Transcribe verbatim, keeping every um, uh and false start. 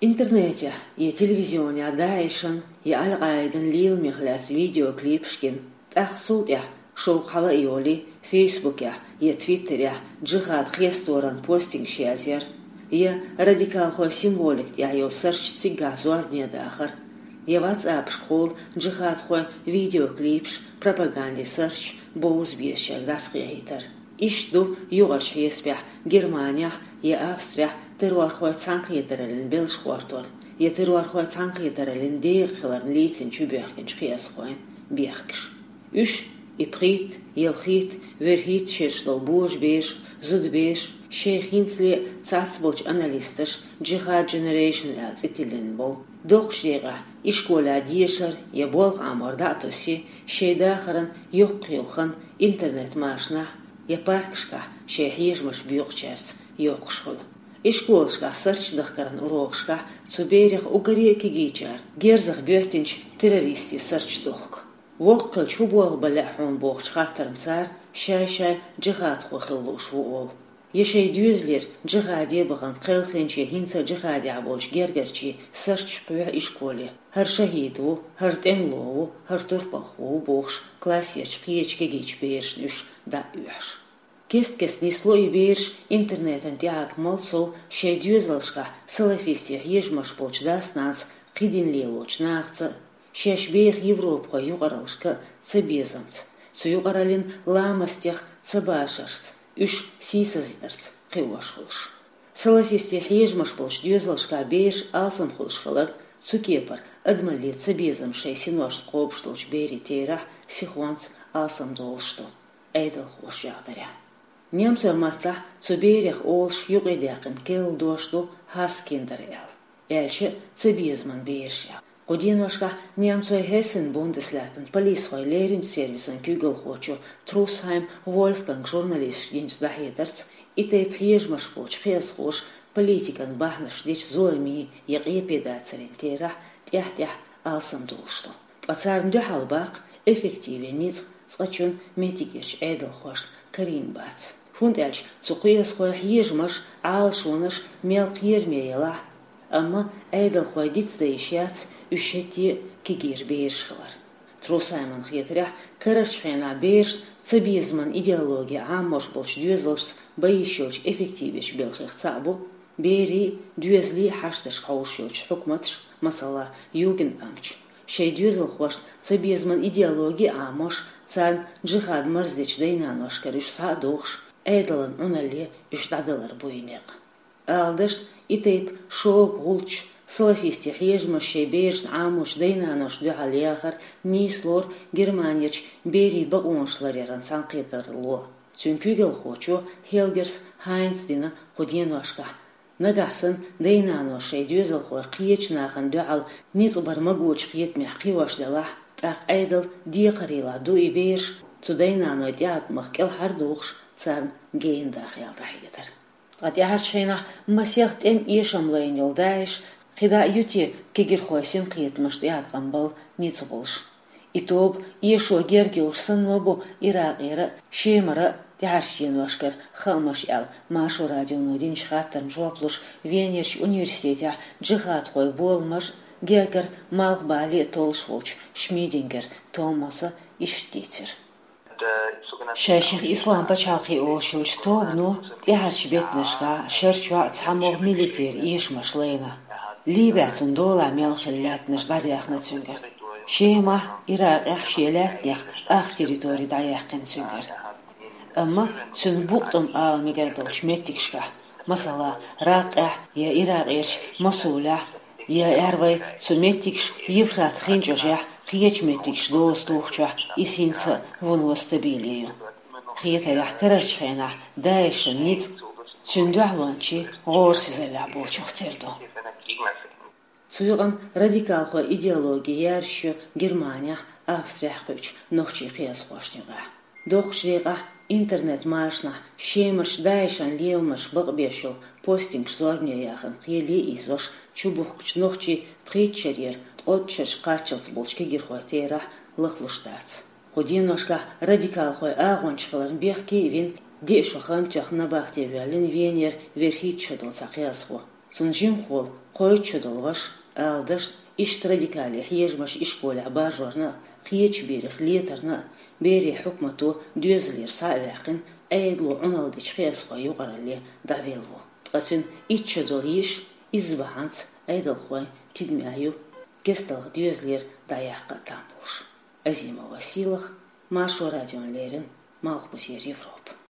Интернетехь я телевизионехь ДАИШан я Аль-Къаидан леламех лаьцна видеоклипаш гина, тӀаккха цул тӀаьхьа шовкъ хьала а йолий, Фейсбукехь я Твиттерехь джихад хесторан постингаш язъяр, я радикалхойн символика тӀехь йолу сарч циггахь зорбане дахар, я ватсапашкахула джихадхойн видеоклипаш, пропагандин сарч бовза безачаьрга дӀасакъайхьийтар. Иштта ду юкъарчу хьесапехь Германехь я Австрехь террорхойн цхьаьнакхетараллин белш гӀортор, я террорхойн цхьаьнакхетараллин декъа хиларна лийцина чубоьхкинчу кхиазхойн бехкаш. Уьш, и пхийтта, ялхитта, верхӀитта шераш долу божабераш, зудабераш, шайх хӀинцале а цхьацца болчу аналисташа Jihad Generation аьлла цӀе тиллина болу. Доккхачу декъехь ишколехь дешар я болх Ӏамор дӀа а тосий, шайн дахаран йоккхаелла хан интернет-машанахь я паркашкахь шайн хьежамаш боькъучаьрца йоккхуш хуьлу. Ишколашкахь сарч дахкаран урокашкахь цу берех уггаре а кегийчара герзах боьттинчу террористийн сарч дохку. Воккха хилча хӀун болх бан лаьа хьуна бохучу хаттарна цара шай-шай джихадхо хила лууш ву олу. Я шайн доьзалера джихаде бахана кхелхинчийн, хӀинца а джихадехь болчу гергарчийн сарч кхоьхьу ишколе: хӀара шахӀид ву, хӀара тӀемало ву, хӀара турпалхо ву бохуш, классерчу кхечу кегийчу берашна уьш дӀа а оьхьуш. Кест-кеста нисло и бераш интернетан тӀеӀаткъамал сов шайн доьзалшкахь салафистийн хьежамаш болчу дас-нанас кхидӀа лелочу нахаца а, шаьш беха европахойн юкъараллашка а цабезамца, цу юкъараллин ламастех цабашарца, уьш сийсаздарца кхиош хуьлуш. Салафистийн хьежамаш болчу доьзалшкахь бераш алсам хуьлуш хилар, цу кепара адамаллин цабезам шайн синошца кхобуш долчу берийн терахь сихонца алсам долуш ду, Ӏедалхоша яхдарехь. Немцойн маттахь цу берех олуш юкъадаьккхина керла дош ду Хасскиндер аьлла, аьлча а цабезаман бераш аьлла. Кху деношкахь немцойн Хессен-Бундеслаьттан полисхойн леринчу сервисан куьйгалхочо Трусхайм Вольфганга журналисташка динчу дӀахьедарца, и тайпа хьежамаш болчу кхиазхоша политикан бахьанаш дечу зуламийн я къепедацарийн терахь тӀаьхь-тӀаьхьа алсам долуш ду. Ткъа царна дуьхьал баккха эффективе ницкъ цкъачунна меттигерчу Ӏедалхошна карийна бац. ХӀунда аьлча цу кхиазхойн хьежамаш, Ӏалашонаш мел кхераме елахь а, амма Ӏедалхойн дицдан йиш яц уьш хӀетте а кегийра бераш хилар. Трусхайман хетарехь, карарчу хенахь берашна цабезаман идеологи Ӏамош болчу доьзалшца бан йиш йолчу эффективечу белхех цхьаъ бу берийн а, доьзалийн а хьашташка хьовсуш йолчу хьукматаш, масала, Югендамташ, шайн доьзалхошна цабезаман идеологи а Ӏамош, царна джихад марздечу дай-наношкара уьш схьа а дохуш, Ӏедалан Ӏуналле уьш дӀадалар буй некъ. Ала дашна, и тайпа шога гӀулчаш, салафистийн хьежамаш шайн берашна Ӏамочу дай-наношна дуьхьал яхар нийслора Германерчу берийн бакъонаш ларъяран цхьаьнакхетаралло. Цуьнан куьйгалхочо Хелгерс Хайнца дина кху деношкахь: нагахь санна дай-наной шайн доьзалхой кхечу нахана дуьхьал ницкъ бар магочу кхетамехь кхиош делахь, тӀаккха Ӏедал декхарийлахь ду и бераш цу дай-наной тӀеӀаткъамах кӀелхьардохуш, царна гена даха аьлла дӀахьедар. Ткъа тӀаьхьарчу хенахь масех тӀеман эшам лайна йолу ДАИШ кхидӀа а ю те кегирхойн синкхетамашна тӀеӀаткъам бала ницкъ болуш? И тоба эшо герга йолуш санна ма бу Иракъера а, Шемара а тӀаьхьарчу деношкара хаамаш аьлла, Маршо радионо динчу хаттарна жоп луш, Венерчу университетехь джихадхойн боламаш а, гергара малхбале а толлуш волчу Шмидингер Томаса иштта дийцира. Шайших Ислам пачхьалкхе олуш йолчу тобано тӀаьхьарчу беттанашкахь шарчохь цхьамогӀа милитера эшамаш лайна. Либехь цуьнан долахь мел хилла лаьттанаш дӀадаьхна цуьнгара. Шемахь, Иракъехь шен лаьттанех ах территори дӀаяьккхина цуьнгара. Амма цуьнан букъ-тӀом ала мегар долчу меттигашкахь, масала, Раккъехь я Иракъерчу Мосулехь, я аьрру вай цу меттигашка Евфрат хин чӀожехь кхечу меттигашка доза тухучохь, иза хӀинца а вуно стабиле ю. Хетарехь, карарчу хенахь ДАИШан ницкъ цуьнан дуьхьалончийн гӀорасизаллехь болчух тера ду. Цу юкъана радикалхойн идеологи яржаш ю Германехь, Австрехь кхуьучу нохчийн кхиазхошна юкъахь. Доккхачу декъахь интернет-машанахь Шемарчу ДАИШан леламаш бакъбеш йолу постингаш зорбане яхана кхеле а ийзош, чубухкучу нохчийн пхийтта шарера ткъолгӀачу шарчу кхаччалц болчу кегирхойн терахь лахлуш дац. Кху деношкахь радикалхойн агӀончаш хиларна бехке а вина, диъ шо хан тоьхна набахте воьллина Венера верхӀитта шо долу цхьа кхиазхо. Цунна жимахволу Кхойтта шо долу ваша, ала дашна, иштта радикале хьежамаш ишколехь баржорна а, кхечу берех летарна а, берийн хьукмато доьзалера схьа а ваьккхина, Ӏедало Ӏуналла дечу кхиазхойн юкъаралле дӀавелла ву. Ткъа цуьнан итт шо долу йиш изза бахьанца Ӏедалхойн тидаме ю кесталгӀа доьзалера дӀаяккха а там болуш. Азимова Сийлаха, Маршо радиона леррина, Малхбузера Европа.